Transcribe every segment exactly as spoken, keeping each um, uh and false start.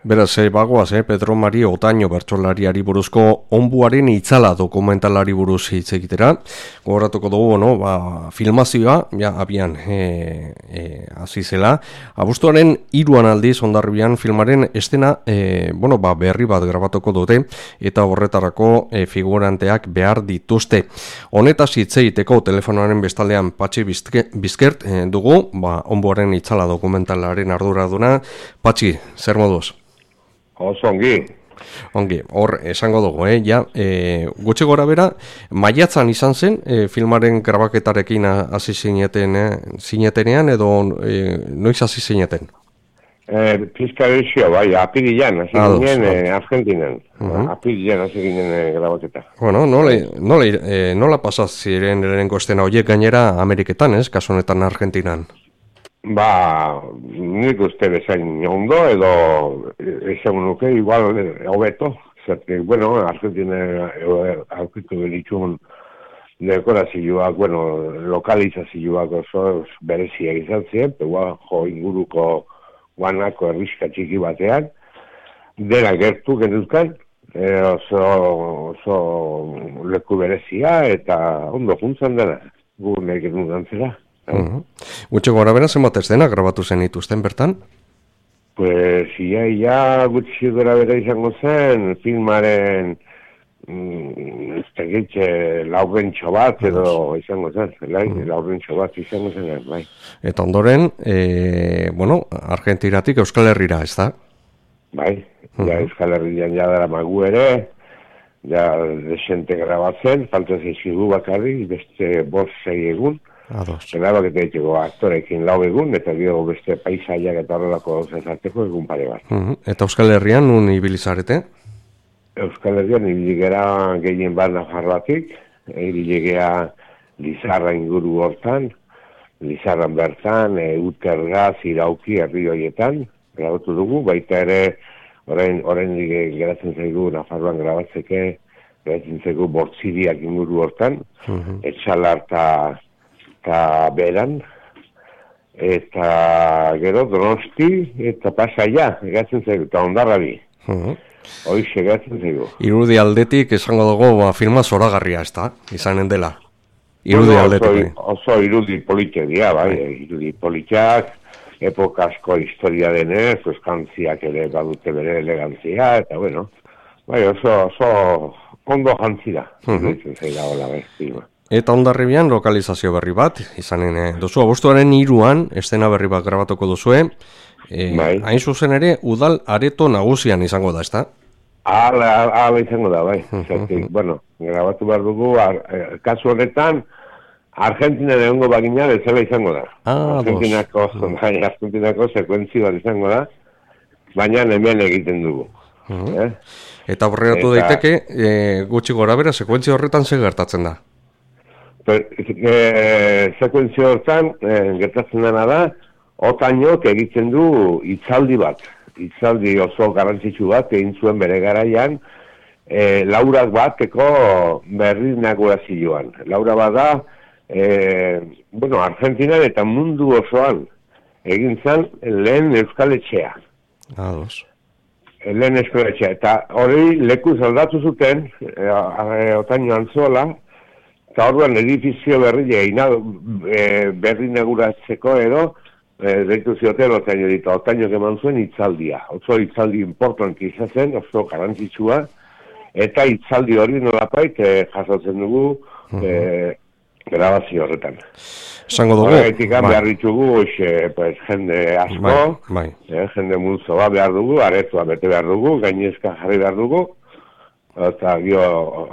Beraz, eh, bagoaz, eh, Pedro Mari Otaño bertsolariari buruzko onbuaren itzala dokumentalari buruz hitz egitera. Gogoratuko dugu, no, ba, filmazioa, ja, abian, e, e, hasi zela. Abuztuaren hiruan aldiz, Hondarribian filmaren estena, e, bueno, ba, berri bat grabatuko dute, eta horretarako e, figuranteak behar dituzte. Honetaz hitz egiteko telefonoaren bestaldean Patxi Bizkert e, dugu, ba, onbuaren itzala dokumentalaren arduraduna. Patxi, zer moduz? Oso ongi. Ongi, hor esango dugu, eh? Ja, e, gutxi gora bera, maiatzan izan zen, e, filmaren grabaketarekin hasi zineten, eh? zinetenean, edo e, noiz hasi zineten? E, Pizkarizio, bai, apirilan, hasi ginen e, Argentinan. Uh-huh. Apirilan hasi ginen e, grabaketa. Bueno, nola, nola, e, nola pasaz ziren lehenengo estena horiek gainera Ameriketan, ez? Kasu honetan Argentinan. Ba, nik uste bezain ondo, edo esan nuke, igual hobeto, zertik, bueno, Argentina aurkitu benitxun dekorazioak, bueno, lokalizazioak oso berezia izan ziren, peua jo inguruko guanako erriska txiki batean, dena gertu genuzkan, e, oso, oso leku berezia, eta ondo juntzan dena, gu nahi genuen antzera. Uh-huh. Gutxi gora bera zenbat estena grabatu zen ituzten bertan? Pues ia, ia gutxi gora bera izango zen filmaren mm, ez tegitxe laurrentxo bat edo izango zen, lai, uh-huh. laurrentxo bat izango zen, bai. Eta ondoren, e, bueno, Argentiratik Euskal Herrira, ez da? Bai, uh-huh. ja Euskal Herrian ja dara magu ere, ja desente grabatzen, falta zeizkigu bakarri, beste bost sei egun. Grabak eta etxeko aktorekin lau egun, eta gero beste paisaiak eta horrelako zezarteko egun pare bat. Uh-huh. Eta Euskal Herrian nun ibilizarete? Euskal Herrian ibiligera gehien bat Nafarroatik, ibiligera Lizarra inguru hortan, Lizarran bertan, e, Utergaz, Irauki, herri horietan, grabatu dugu, baita ere, orain, orain geratzen zaigu Nafarroan grabatzeke, geratzen zaigu Bortziriak inguru hortan, uh-huh. Etxalar eta eta beran, eta gero Donosti, eta Pasaia, egatzen zaigu, eta Hondarrabi. Uh-huh. Hoiz egatzen zaigu. Irudi aldetik esango dugu, ba, filma zoragarria, ez da, izanen dela. Irudi bueno, aldetik. Oso, oso irudi politia dira, bai, irudi politiak, epokasko historia denez, eskantziak ere badute bere elegantzia, eta bueno, bai, oso, oso ondo jantzira, uh-huh. egatzen zaila hola, bai, filma. Eta Hondarribian lokalizazio berri bat, izanen eh, duzu, abuztuaren hiruan, estena berri bat grabatuko duzue, e, bai. Hain zuzen ere, udal areto nagusian izango da, ezta? Hala, hala izango da, bai. Zertik, bueno, grabatu behar dugu, ar, eh, kasu honetan, Argentina egongo bagina bezala izango da. Ah, Argentinako, bai, Argentinako sekuentzi bat izango da, baina hemen egiten dugu. Uh-huh. eh? Eta horretu Eta... daiteke, e, gutxi gora bera, sekuentzi horretan zer gertatzen da? E, sekuentzio hortan, e, gertatzen dena da, Otañok egiten du hitzaldi bat. Hitzaldi oso garrantzitsu bat, egin zuen bere garaian, e, laurak bateko berri inaugurazioan. Laura bat da, e, bueno, Argentinan eta mundu osoan egin zen lehen Euskal Etxea. Ados. Lehen Euskal Etxea. Eta hori lekuz aldatu zuten, e, Otaño Antzola, eta orduan edifizio berri egin, e, berri neguratzeko edo, e, deitu zioten Otaño ditu, Otañok eman zuen hitzaldia. Oso hitzaldi importanti izaten, oso garrantzitsua, eta hitzaldi hori nolapait e, jasotzen dugu uh-huh. e, grabazio horretan. Zango dugu? Horregatik behar ditugu, xe, pues, jende asko, bai, bai. E, jende multzoa behar dugu, aretua bete behar dugu, gainezka jarri behar dugu, eta gio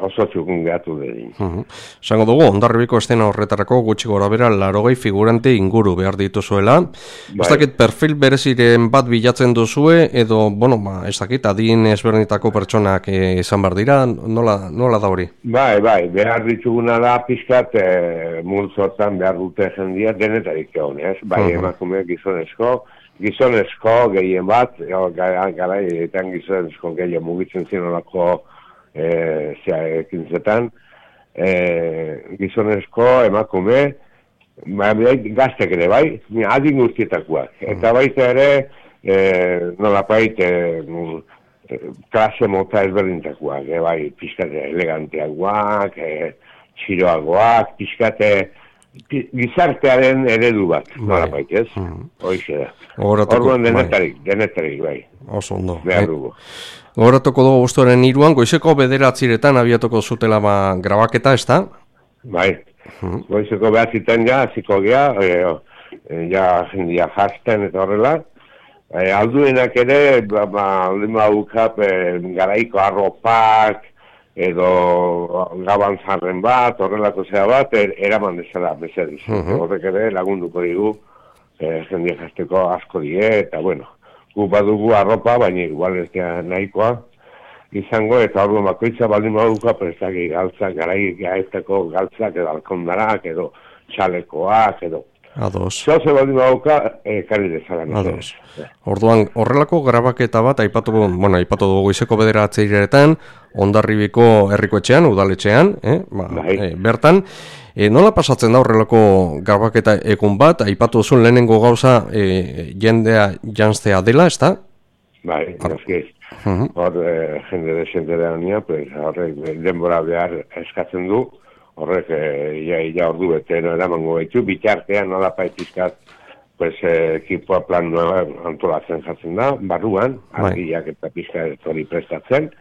oso txukun gehatu dedin. Uh-huh. Zango dugu, Hondarribiko estena horretarako gutxi gora bera larogei figurante inguru behar dituzuela. Bai. Ez dakit perfil bereziren bat bilatzen duzue, edo, bueno, ba, ez dakit, adin ezberdinetako pertsonak e, izan behar dira, nola, nola da hori? Bai, bai, behar dituguna da pizkat e, multzotan behar dute jendia denetarik egon, ez? Bai, uh-huh. emakume gizonezko, gizonezko gehien bat, garaietan gizonezko gehien mugitzen zinolako E, zea, ekintzetan, e, gizonezko emakume, ba, gaztek ere, bai, adin guztietakoak. Eta baita ere, e, nolapait, e, klase mota ezberdintakoak, e, bai, pixkate eleganteagoak, e, txiroagoak, pixkate gizartearen eredu bat, nolapait, ez? Mm. Hoixe da. Orduan denetarik, bai. denetarik, bai. Oso ondo. Behar dugu. Gogoratuko dugu guztuaren hiruan, goizeko bederatziretan abiatuko zutela ba, grabaketa, ez da? Bai. Mm. Goizeko behatzitan ja, ziko gea, e, ja jendia jazten eta horrela. E, alduenak ere, ba, ba, lima bukap, e, garaiko arropak, edo gabantzarren bat, horrelako zera bat, er, eraman dezala, bezediz. Uh-huh. Horrek ere lagunduko digu, e, jendia jazteko asko die, eta bueno, gu badugu arropa, baina igual ez da nahikoa izango, eta orduan bakoitza baldin baduka prestaki galtzak, garai gaetako galtzak edo alkondarak, edo txalekoak, edo Ados. Zoze baldin baduka, e, kari dezagan. Ados. Orduan, horrelako grabaketa bat, aipatu, bueno, aipatu dugu goizeko bederatziretan, Hondarribiko herrikoetxean, udaletxean, eh? ba, eh, bertan, e, nola pasatzen da horrelako grabaketa egun bat, aipatu duzun lehenengo gauza e, jendea janztea dela, ez da? Bai, noski. Uh-huh. Hor, e, jende desente da nia, pues, horrek denbora behar eskatzen du, horrek e, ia, ia ordu bete no eramango gaitu, bitartean nola paitizkat, pues, e, ekipoa plan nueva antolatzen jatzen da, barruan, argiak eta pizka hori prestatzen.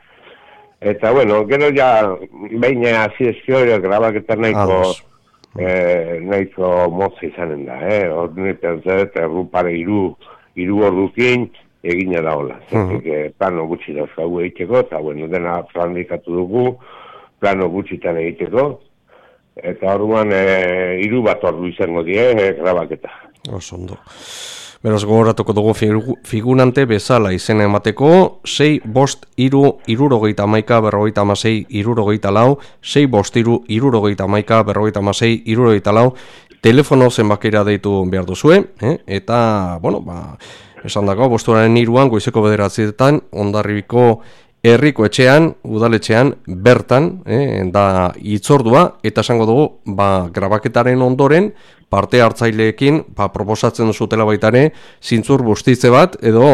Eta, bueno, gero ja, behin hasi ezkio, grabaketan nahiko, eh, nahiko motza izanen da, eh? Ordunetan zeret, errupare iru, iru ordukin egina da hola. Zertik, uh-huh. plano gutxi dauzkagu egiteko, eta, bueno, dena planifikatu dugu, plano gutxitan egiteko, eta orduan, eh, iru bat ordu izango die, eh, grabaketa. Oso ondo. Beraz, gogoratuko dugu figurante bezala izena emateko, sei bost iru irurogeita amaika berrogeita amasei irurogeita lau, sei bost iru irurogeita amaika berrogeita amasei irurogeita lau, telefono zenbakera deitu behar duzue, eh? Eta, bueno, ba, esan dago, bosturaren iruan, goizeko bederatzietan, Hondarribiko herriko etxean, udaletxean, bertan, eh, da hitzordua, eta esango dugu, ba, grabaketaren ondoren, parte hartzaileekin, ba, proposatzen duzutela baita ere, zintzur bustitze bat, edo,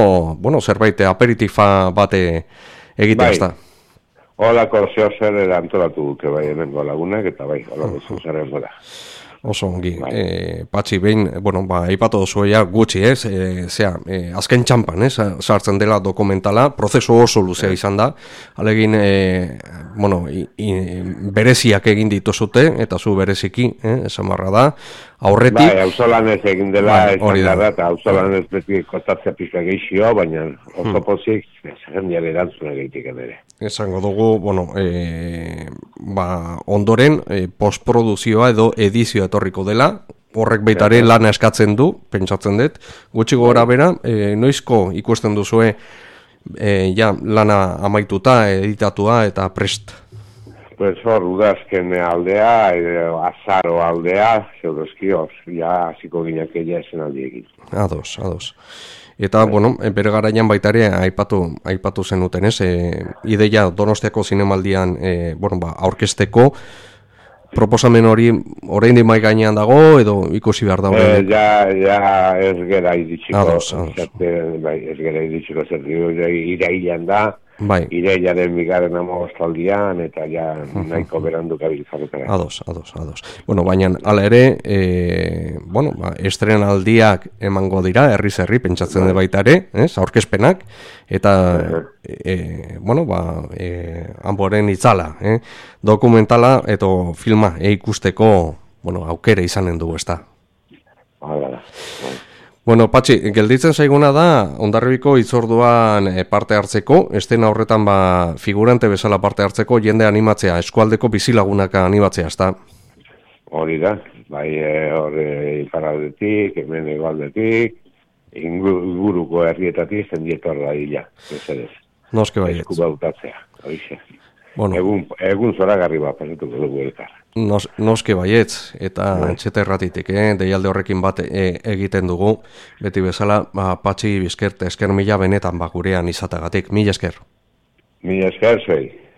bueno, zerbait aperitifa bate egitea, ez da. Holako zeo zer antolatu duke, bai, hemengo lagunak, eta bai, holako zeo zer da. Oso ongi, e, patxi behin, bueno, ba, eipatu duzu ja gutxi, ez, e, zera, e, azken txampan, ez, sartzen dela dokumentala, prozesu oso luzea izan da, alegin, e, bueno, i, i, bereziak egin dituzute, eta zu bereziki, eh, esan barra da, aurretik... Bai, hauzolanez egin dela, esan da, eta hauzolanez beti kostatzea pizka gehizio, baina oso pozik, jendean erantzuna gehitik ere. Esango dugu, bueno, e, ba, ondoren, e, postproduzioa edo edizioa etorriko dela, horrek baitare lana eskatzen du, pentsatzen dut, gutxi gora bera, e, noizko ikusten duzue, e, ja, lana amaituta, editatua eta prest? Pues hor, udazken aldea, edo azaro aldea, zeudozkioz, ja, hasiko ginak egia esen aldiekin. Ados, ados. Eta, bueno, bere garaian baita ere aipatu, aipatu zenuten, ez? E, ideia Donostiako zinemaldian, e, bueno, ba, aurkezteko, proposamen hori oraindik mai gainean dago, edo ikusi behar da oraindik? E, ja, ja, ez gera iritsiko. Ados, ados. Bai, ez gera iritsiko zer, irailan da, bai. Irailaren bigaren amagostaldian, eta ja nahiko berandu gabiltzarretara. Ados, ados, ados. Bueno, baina, ala ere, e, bueno, ba, estrenaldiak emango dira, herriz herri, pentsatzen de baita ere, ez, aurkezpenak, eta, e, bueno, ba, e, hanboren itzala, eh? Dokumentala, edo filma e ikusteko, bueno, aukere izanen dugu, ez da. Hala da, bai. Bueno, Patxi, gelditzen zaiguna da, Hondarribiko hitzorduan parte hartzeko, estena horretan ba, figurante bezala parte hartzeko, jende animatzea, eskualdeko bizilagunak animatzea, ez da? Hori da, bai, hori iparaldetik, hemen egualdetik, inguruko herrietatik, zendietor da hila, ez ere. Noske baietz. Esku bautatzea, hori ze. Bueno. Egun, egun zoragarri bat, pasatuko dugu elkar. Nos, noske baietz, eta no. Etxete erratitik, eh? Deialde horrekin bat e, egiten dugu, beti bezala, ba, Patxi bizkert, esker mila benetan bakurean izatagatik, mila esker. Mila esker, zei.